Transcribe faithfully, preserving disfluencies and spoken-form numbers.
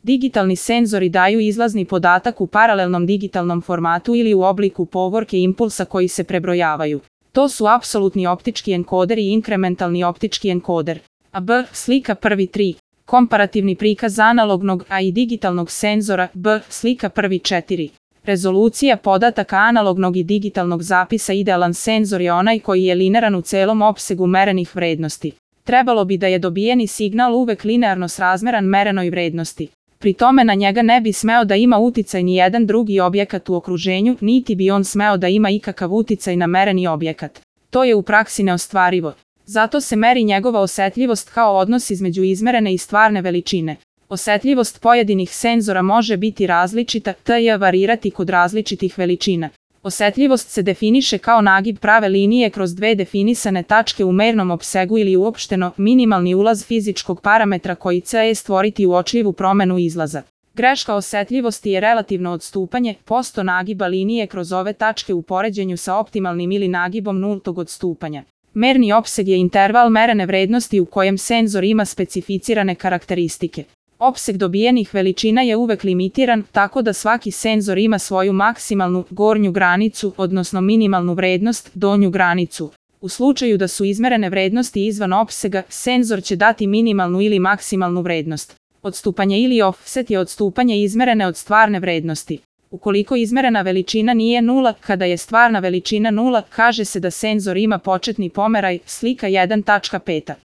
Digitalni senzori daju izlazni podatak u paralelnom digitalnom formatu ili u obliku povorke impulsa koji se prebrojavaju. To su apsolutni optički enkoder i inkrementalni optički enkoder. A B. Slika prvi tri. Komparativni prikaz analognog A i digitalnog senzora. B. Slika prvi četiri. Rezolucija podataka analognog i digitalnog zapisa. Idealan senzor je onaj koji je linearan u celom opsegu merenih vrednosti. Trebalo bi da je dobijeni signal uvek linearno srazmeran merenoj vrednosti. Pri tome na njega ne bi smeo da ima uticaj ni jedan drugi objekat u okruženju, niti bi on smeo da ima ikakav uticaj na mereni objekat. To je u praksi neostvarivo. Zato se meri njegova osetljivost kao odnos između izmerene i stvarne veličine. Osetljivost pojedinih senzora može biti različita, tj. varirati kod različitih veličina. Osetljivost se definiše kao nagib prave linije kroz dve definisane tačke u mernom opsegu ili uopšteno minimalni ulaz fizičkog parametra koji će stvoriti uočljivu promenu izlaza. Greška osetljivosti je relativno odstupanje posto nagiba linije kroz ove tačke u poređenju sa optimalnim ili nagibom nultog odstupanja. Merni opseg je interval merene vrednosti u kojem senzor ima specificirane karakteristike. Opseg dobijenih veličina je uvek limitiran, tako da svaki senzor ima svoju maksimalnu gornju granicu, odnosno minimalnu vrednost, donju granicu. U slučaju da su izmerene vrednosti izvan opsega, senzor će dati minimalnu ili maksimalnu vrednost. Odstupanje ili offset je odstupanje izmerene od stvarne vrednosti. Ukoliko izmerena veličina nije nula, kada je stvarna veličina nula, kaže se da senzor ima početni pomeraj, slika jedan tačka pet.